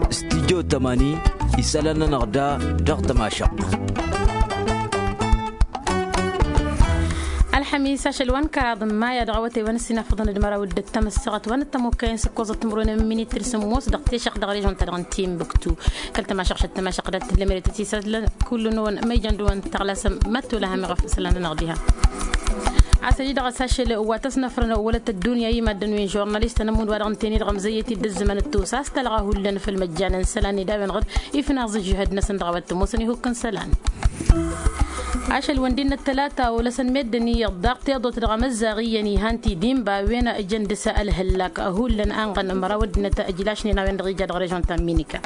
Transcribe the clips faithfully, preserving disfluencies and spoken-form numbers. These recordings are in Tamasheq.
Studyo tămani isălan-nănăɣ da dăɣ-tămašăɣt. Ălxămis ašăl wa n-kăraḍ n-maya dăɣ-awătay wa n-ăssinafăḍăn d-măraw d-ăttăm ăssaɣăt wa n-ăttămokkayen s-ǝkkoẓăt timǝrwen n-minit d-sǝmmos dăɣ-tešăɣt dăɣ-režon-ta-dăɣ n-timbuktu. Kăl-tămašăɣšăt tămašăɣ dat-tǝllămeret ăsisălăn kullu-năwăn ma ijăn dăɣ-wăn tăɣlasăm mătto laha meɣ ăfnăsălan-nănăɣ diha. A-s ăjǝy dăɣ-s ašăl wa tăsnăfrăn wălăt ăddunya i-maddǝn wi n-žurnalist tănămmud wa dăɣ-ǝntăyni dăɣ-măzăyyăt-dd ǝzzǝmăn d-tosa a-s talɣa hullan făll-măjjan n-isălan ed a-wen-dăɣ ifnaẓ ǝžžǝhăd-năsăn dăɣ-a-wa t-ămoosăn ihukk n-isălan. Ašăl wa n-dd-innă ăttălata olăsăn meddǝn iyyăḍ daɣ tiḍut dăɣ-emăzzaɣ iyyăn ihăn tidinba a-wen ǝjăn dăɣ-s ălhǝllak hullan anɣăn măraw ăddinăt ǝjlašnen a-wen-dăɣ ija dăɣ-režon ta n-minika.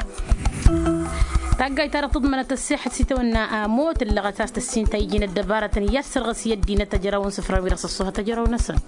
Taggayt-ta-dăɣ tǝḍmănăt ăssixăt s-itawănna amot ǝllăɣăt a-s tăssinta iji n-ăddăbarătăn i-ad-sărɣǝs i-ăddinăt ăjrăwăn sǝfran wi-dăɣ s-ăṣṣuhăt ăjrăw-năsăn.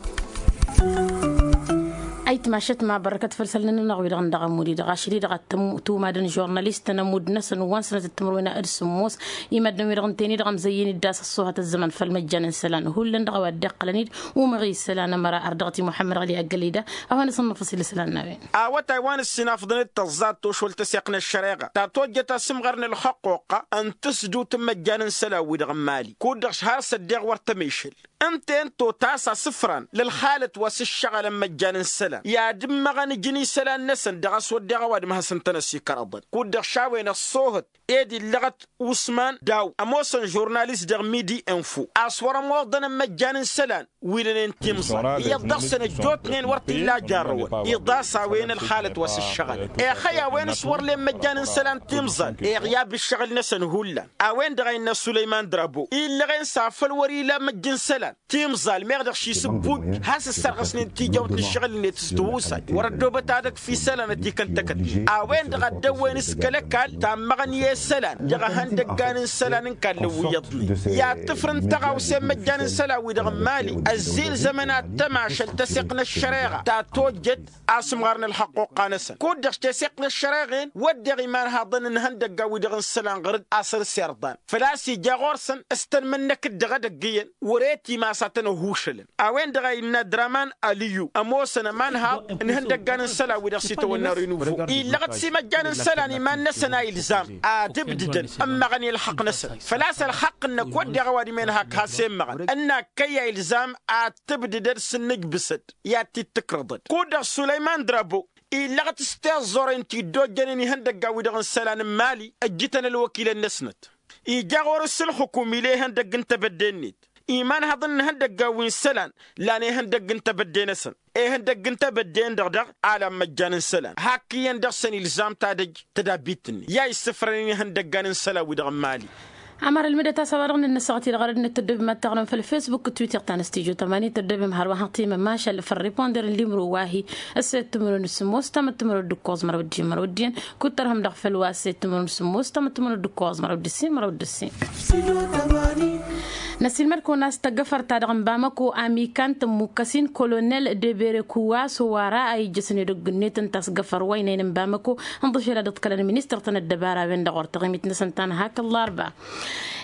Ayǝtmašăt ma bărkăt făll-isălan-nănăɣ wi-dăɣ n-dăɣ-ămud-i-dăɣ ašăl-i-dăɣ ad-tǝm-tumadăn žurnalist tănămud-năsăn wa n-sănăt d-timǝrwen d-sǝmmos. Imăddǝn-wi-dăɣ ǝntăyăn-i-dăɣ ămzăyyăn-dd a-s ăṣṣuhăt ăzzăman făll-măjjan n-isălan hullan dăɣ-a-wa dd-iqqălăn-dd umăɣ isălan ămăra ărdăɣăt i-muḥămmăd ɣăli aggălida. A-wa n-asǝnnăfăs-i l-isălan n-a-wen. A-wa tayǝwăn ǝssinafḍăn d-tăẓẓa ad-tošol tăseɣt n-ăššăreɣa ta tojjăt asǝmɣăr n-ălxăqquqqa n-tǝsdǝwt n-măjjan n-isălan-wi-dăɣ n-mali kud-dăɣ š-har s-ăddeɣ wăr tămešăl. Ǝnta-en totasa asǝfran l-ălxalăt wa s-ǝššăɣǝlăn măjjan n-isălan i-ad-ǝmmăɣăn ǝjǝn isălan-năsăn dăɣ-a-s wădden a-wa d-măhăs ǝntănăs ikărăḍăn kud-dăɣ šawen ăṣṣoohăt ed illăɣăt usman daw ămoosăn žurnalist dăɣ-midi info a-s wăr-ămoḍăn n-măjjan n-isălan wi lănen timẓal iyyăḍ dăɣ-săn ăjjootnen wăr t-illa jarrăwăn iḍas a-wen ălxalăt wa s-ǝššăɣǝlăn ixăy a-wen s-wăr len măjjan n-isălan timẓal iɣyab ǝššăɣǝl-năsăn hullan. A-wen-dăɣ a innă sulăyman drabo illăɣen s-afăl wăr-ila măjj n-isălan timẓal meɣ dăɣ-ši s-ǝbbud has-ǝssărɣăsnen tijawt n-ǝššăɣǝl-net s-tihusay wăr-ăddoobăt ad-ăkf isălan ătikăn tăkăt. A-wen-dăɣ a dd-ăwwen s-kăl-ăkall tammăɣăn i-isălan dăɣ-ehăndăggan n-isălan n-kallăn wi iyyăḍnen i-ad-tǝfrǝn tăɣawse n-măjjan n-isălan-wi-dăɣ n-mali. Ăzzilzămăn ad-tămašăl tăseɣt n-ăššăreɣa ta tojjăt asǝmɣar n-ălxăqquqqa-năsăn kud-dăɣ s-teseɣt n-ăššăreɣen wădden imanhaḍăn n-ihăndăggan-wi-dăɣ n-isălan ɣǝr-dd a săr-s irḍan făl-a-s ija ɣur-săn s-tăn-mǝnnăk-dd dăɣ-edăgg iyyăn wăr-e timas a tăn-ăhušălăn. A-wen-dăɣ a innă draman aliyu ămoosăn ămanhaḍ n-ihăndăggan n-isălan-wi-dăɣ s-itawănna renuvo illăɣăt s-imăjjan n-isălan iman-năsăn a ilzam ad-ǝbdǝdăn ǝmmăɣăn i-ălxăqq-năsăn făl-a-s ălxăqq-năk wădden a-wa d-imenhak has-emmăɣăn ǝnn'-ak kăyy a ilzam ad-tǝbdǝdăd s-ǝnnǝjbǝsăd i-ad-t-dd-tǝkrăḍăd kud-dăɣ sulăyman drabo illăɣăt s-tiẓẓoren ti dd-ojjănen ihăndăggan-wi-dăɣ n-isălan n-mali ăjjǝtăn ălwăkilăn-năsnăt. Ija ɣur-s ǝlxǝkum ila ihăndăgg n-tebădde-net imanhăḍăn n-ihăndăggan wi n-isălan lan ihăndăgg n-tebădde-năsăn ihăndăgg n-tebădde-en-dăɣ daɣ a lan măjjan n-isălan hak iyyăn dăɣ-săn ilzam tadăj tădabbit-net i-a issǝfrănen ihăndăggan n-isălan-wi-dăɣ n-mali. Ămăra ǝlmǝdăt a-s a-wa dăɣ-nǝnnăsăɣăt-i-dăɣ ărăd n-tăddobem ad-taɣrǝm făll-facebook d-twitter ta n-studyo tămani tăddobem hărwa hăɣ timăm ašăl făll-riponder n-limro wa hi-ăssed timǝrwen d-sǝmmos tamăt timǝrwen d-ǝkkoẓ măraw d-ijjǝn măraw d-iyyăn kud-tărhăm dăɣ-făll-wa ăssed timǝrwen d-sǝmmos tamăt timǝrwen d-ǝkkoẓ măraw d-ǝssin măraw d-ǝssin. Năsiilmăd-kăwăn a-s tăggăfărt-ta-dăɣ n-bamăko amikan tămmukkăs-in kolonel debere kuwaso wa ra a ijjăsăn edăgg-net ǝnta a-s găfăr wa ăynăyăn n-bamăko ǝnḍǝf ela dd-ǝḍkălăn ministăr-tăn ăddăbara a-wen-dăɣ wăr taɣimit-năsăn ta n-hak ăllarba.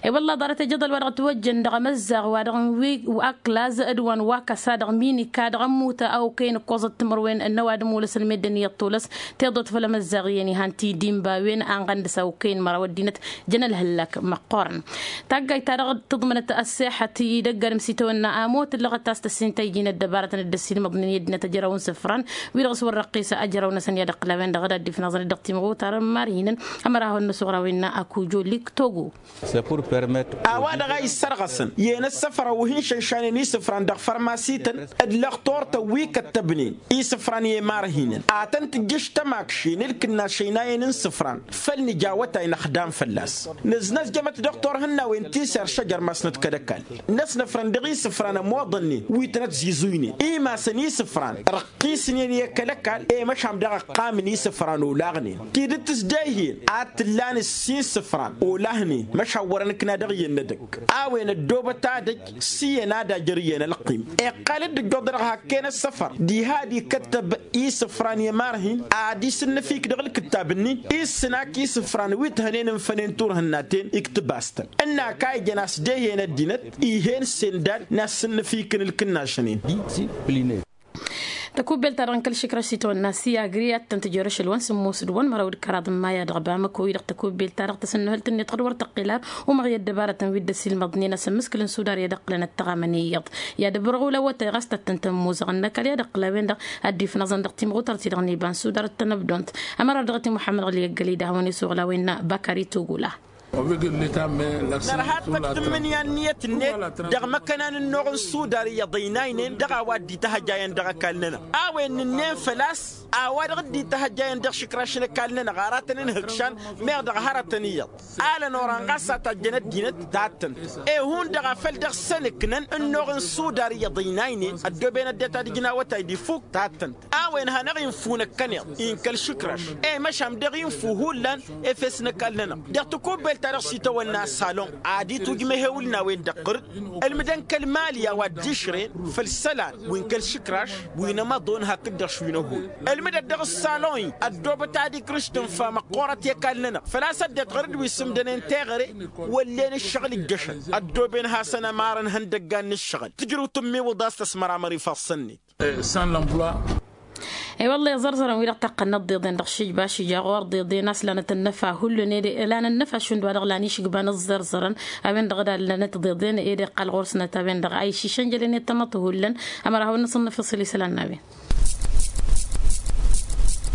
I-wălla ḍarăt ejăḍăl wa dăɣ-ătwăjjăn dăɣ-emăzzaɣ wa dăɣ-n wi aklaz d-wa n-wakăsa dăɣ-minika dăɣ-ămmutăn a okăyăn ǝkkoẓăt timǝrwen n-ăwadǝm olăsăn meddǝn iyyăḍ tolăs tiḍot făll-emăzzaɣ iyyăn ihăn tidinba a-wen anɣăn dăɣ-s a okăyăn măraw ăddinăt jăn ălhǝllak măqqoorăn. Taggayt-ta-dăɣ tǝḍmănăt ăssexăt idăgg-adǝm s-itawănna amot ǝllăɣăt a-s tăssin ta iji n-ăddăbarătăn dd-ăssiilmăḍnen i-ăddinăt ăjrăwăn isǝfran wi-dăɣ s-wăr răqqis ajrăw-năsăn i-ad-ǝqqǝl a-wen-dăɣ ad-dd-ifnaẓăn dăɣ-timɣutar n-imarhinăn. Ămăra hawăn-năsuɣraw innă akujo liktogo. A-wa-dăɣ a issărɣăsăn i-en ăssăfăr a uhǝnšănšanen isǝfran dăɣ-fărmasităn d-lăxtor-tăn wi kăttăbnen isǝfran i-imarhinăn ad-tăn-tǝjjǝš tămakšen d-kǝnnaš ăynayăn n-isǝfran făll-nǝj awătay năxdam fălla-s. Nǝznăzjămăt dăɣ-turhǝnnawen ti s-erš ăjăr masnăt kăl-ăkall n-ăsnăfrăn dăɣ-isǝfran ămoḍănnen wi tăn-ătzizuynen imasăn isǝfran răqqisnen i-kăl-ăkall i-măšan dăɣ-ăqqamăn isǝfran olaɣnen tidǝt s-dehǝyăn ad-t-ǝllan ǝssin isǝfran olahnen măšan wăr-ănǝkna dăɣ-iyyăn n-edăgg a-wen ăddoobăt adăj s-iyyăn ad-ajăr iyyăn ălqim. Iqqal-dd ǝjjoḍ dăɣ-hakken ăssăfăr diha ad-ikăttăb isǝfran i-imarhin ad-isǝnnǝfik dăɣ-ǝlkǝttab-nin issǝn ak isǝfran wi t-hănen ǝnfănen turhǝnna-ten iktǝb-as-tăn ǝnn'-ak a ijăn a-s dehǝyăn ăddinăt ih'-en sendal n-ad-sǝnnǝfikǝn ǝlkǝnnašăn-en. Discipliner. Tăkubbelt-ta-dăɣ n-kăl-išǝkraš s-itawănna s-i agri ad-tăn-tǝjor ašăl wa n-sǝmmos d-wăn măraw d-kăraḍ n-maya dăɣ-bamăko-i-dăɣ tăkubbelt-ta-dăɣ tăsǝnnăhăl-t-net ɣur-tăqqila umăɣ i-ăddăbarătăn wi dd-ăsilmăḍnen asǝmmǝskǝl n-sudar i-ad-ǝqqǝlăn ăttăɣamăn iyyăḍ. I-ad-ǝbrăɣ ula awătay ɣas tăt-tăn-tămmuzăɣ ănnăkall i-ad-ǝqqǝl a-wen-dăɣ ad-dd-ifnăẓăn dăɣ-timɣutărt-i-dăɣ n-iba n-sudar d-tănăbdont. Ămăra dăɣ-t i-muḥămmăd ɣǝli ăggălăy d-ahawăn-isuɣǝl a-wen n-bakari tugula. Nărha tăkk tǝmmǝnǝya n-niyyăt-net dăɣ-imăkkănan ǝnnuɣ n-sudar iyyăḍ ăynaynen dăɣ-a-wa dd-itahăjjayăn dăɣ-ăkall-nănăɣ a-wen nǝnnen făl-a-s a-wa-dăɣ dd-itahăjjayăn dăɣ-išǝkraš n-ăkall-nănăɣ aratăn-in-hǝkšan. Meɣ dăɣ-hărătăn iyyăḍ alăn oran ɣas a tajjăn ăddinăt. Tattăn ehun-dăɣ a făl dăɣ-săn ǝknăn ǝnnuɣ n-sudar iyyăḍ ăynaynen ăddooben ăddinăt ad-ǝjǝn awătay d-ifuk. Tattăn a-wen hanăɣ-infun ăkkăneḍ-i n-kăl-išǝkraš i-măšan dăɣ-infun hullan efes n-ăkall-nănăɣ dăɣ-tăkubbelt-ta-dăɣ s-itawănna salon ad-itwǝjmăhewǝl n-a-wen-dăɣ ɣǝr-dd. Ǝlmǝdăn kăl-mali a-wa dd-išrăyăn făll-isălan wi n-kăl-išǝkraš wi n-amăḍon hakd-dăɣ šwin-ăhul. Ǝlmǝdăt dăɣ-ǝssalon-i ăddoobăt ad-ikrǝš tǝnfa măqqoorăt i-ăkall-nănăɣ făl-a-s ăddinăt ɣǝr-dd wi s-ǝmdănen teɣăre wăllen ǝššăɣǝl ǝjjăšăn ăddooben hasăn-ămarăn ihăndăggan n-ǝššăɣǝl tǝjrǝw tǝmmiwǝḍ a-s tăsmăramăr ifassăn-net. E-wălla iẓărẓărăn-wi-dăɣ taqqăn n-ăḍḍeḍen dăɣ-šǝjba šǝja ɣur-ḍeḍen a-s lanăt ănnăfa hullan ede lanăt ănnăfa šund wa-dăɣ lan išǝgbăn ǝẓẓărẓărăn. A-wen-dăɣ d-allanăt ḍeḍen ede iqqal ɣur-snăt a-wen-dăɣ a iššǝšăn jălănet tamăḍt hullan. Ămăra hawăn-năsănnăfăṣ ălisălan n-a-wen.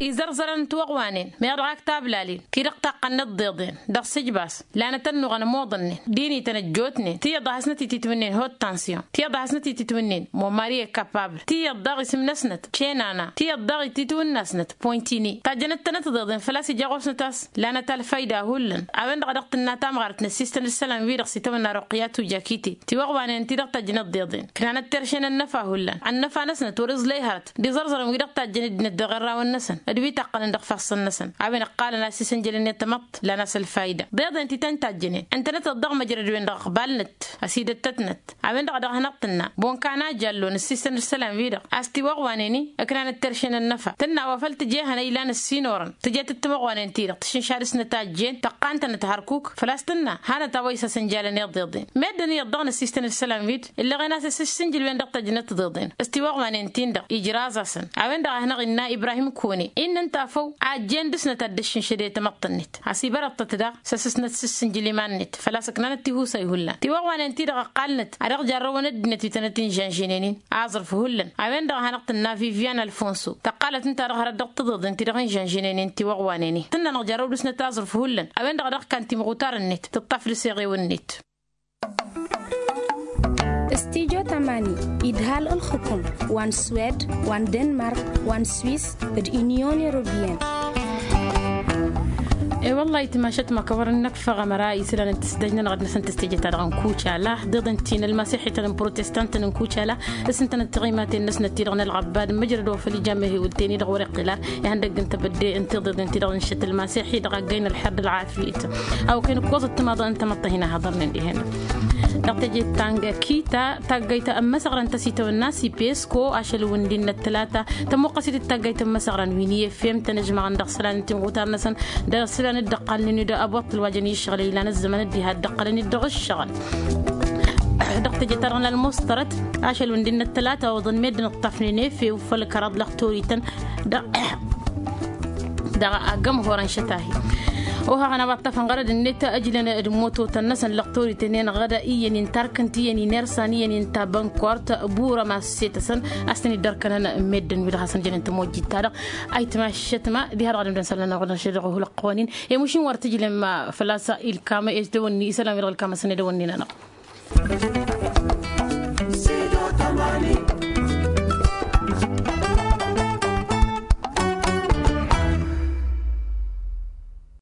Izărẓărăn n-tiwăɣwanen meɣ dăɣ-ak tablalin ti-dăɣ taqqăn n-ăḍḍeḍen dăɣ-sǝjbas lanăt ănnuɣăn ămoḍănnen d-inităn ăjjootnen tiyyăḍ a hasnăt-ititwǝnnen hot tansyon tiyyăḍ a hasnăt-ititwǝnnen momari ekapabl tiyyăḍ daɣ isǝm-năsnăt cenana tiyyăḍ daɣ ititwǝnna-snăt pointini tajjănăt-tănăt ḍeḍen făl-a-s ija ɣur-snăt a-s lanăt alfayda hullan. A-wen-dăɣ a dăɣ-tǝnna tamɣart n-ăssistăn d-isălan-wi-dăɣ s-itawănna ruqiyat ujakite tiwăɣwanen ti-dăɣ tajjănăt ḍeḍen ǝknanăt terše n-ănnăfa hullan ănnăfa-năsnăt wăr-iẓlăy hărăt d-iẓărẓărăn-wi-dăɣ tajjăn ăddinăt dăɣ-irrawăn-năsăn d-wi taqqănăn dăɣ-ifassăn-năsăn. A-wen ǝqqalăn a-s isǝnjălăn i-tamăḍt lan-as ălfayda ḍeḍen ti tăn-tajjănen ǝntănăt-ăḍḍăɣ măjrăd-wen-dăɣ ăqbalnăt ăsidăttătnăt. A-wen-dăɣ a dăɣ-hanăɣ-tǝnna bonkan a jallo n-ǝssisăn d-isălan-wi-dăɣ a-s tiwăɣwanen-i ǝknanăt terše n-ănnăfa tǝnna wa făl tǝje ehăn a ilan ǝssin orăn tǝje-tǝttǝmăɣwanen-ti-dăɣ tǝšǝnša dăɣ-snăt a ǝjjen tăqqa ǝntănăt hărkuk făl-a-s tǝnna hanăt a-wa isăsǝnjălăn i-ḍeḍen. Meddǝn iyyăḍ dăɣ-năssistăn d-isălan-wi-dăɣ illeɣen a-s asǝssǝnjǝl-wen-dăɣ tăjnăt ḍeḍen s-tiwăɣwanen-tin-dăɣ ijraz-asăn. A-wen-dăɣ a hanăɣ-innă ibrahim kune innă ǝnta a făw a ǝjjen dăɣ-snăt ad-dd-ǝššǝnšăd i-tamăḍt-net a-s ibărăḍ-tăt daɣ s-asǝsnăt s-ǝssǝnjǝl iman-net făl-a-s ǝknanăt tihusay hullan tiwăɣwanen-ti-dăɣ ăqqalnăt a dăɣ-jarrăwăn ăddinăt wi tănăt-inžănžǝnen-in aẓrǝf hullan. A-wen-dăɣ a hanăɣ-tǝnna vivian alfonso tăqqalăt ǝnta dăɣ-hărăt dăɣ-tiḍeḍen ti-dăɣ inžănžǝnen-in tiwăɣwanen-i tǝnna-năɣ jarrăw dăɣ-snăt aẓrǝf hullan. A-wen-dăɣ a dăɣ-kan timɣutar-net tǝṭṭaf d-aseɣew-net. Studyo tamani idhal ǝlxǝkum wa n-swed wa n-denmark wa n-swis d-unyon europeyăn. E-wălla-hi timašat ma kăwărăn năkfăɣ ămăra isălan n-tǝsdăj-nănăɣ d-năsăn tǝstejăt-ta-dăɣ n-kucala ḍeḍen ti n-ălmasixităn n-protestant n-kucala s-ǝntănăt tiɣimaten-năsnăt ti-dăɣ n-ălɣăbbad n-măjrăd wa făl ija mehewǝl-ten-i-dăɣ wăr-iqqǝl ar ihăndăgg n-tebădde n-tiḍeḍen ti-dăɣ n-iššăt ălmasixi dăɣ-aggăy n-ălxer d-ălɣafyăt. A okăyăn ǝkkoẓăt timaḍăn n-tamăḍt ta hin-ahăḍărnen dihen-dăɣ dăɣ-teje tangkita taggayt ămmăsăɣrăn ta s-itawănna s-ipesko ašăl wǝndin n-ăttălata tămuqqăs-it d-taggayt ămmăsăɣrăn wi n-i efem tăn-ăžmăɣăn dăɣ-isălan n-timɣutar-năsăn d-isălan dd-ăqqalnen-dd ăboṭṭăl wa jăn i-ǝššăɣǝl ilan ăzzăman dd-iha dd-ăqqălăn-dd dăɣ-ǝššăɣǝl. Dăɣ-teje-ta-dăɣ n-ălmuṣtărăt ašăl wǝndin n-ăttălata oḍăn meddǝn ǝṭṭafnen efew făll-kăraḍ lăxtorităn dăɣ-agg ămhorăn šătahi. Ohaɣăn a-wa ǝṭṭafăn ɣărăd-net ăjlăn d-imototăn-năsăn lăxtorităn-en ɣăda iyyăn inta arkăn t-iyyăn inersan iyyăn inta bănkort burăm asset-asăn a-s tăn-dd-ărkănăn meddǝn wi dăɣ-hasăn jănen tămojjit-ta-dăɣ. Ayǝtma šătma diha-dăɣ ad-ǝmdăn isălan-nănăɣ wăr năšăl dăɣ-ohul ăqqonin i-mušin wăr tǝjlem făl-a-s ilkam s-dăwănni isălan wi dăɣ-ilkam a-s ănedăwănni-nănăɣ.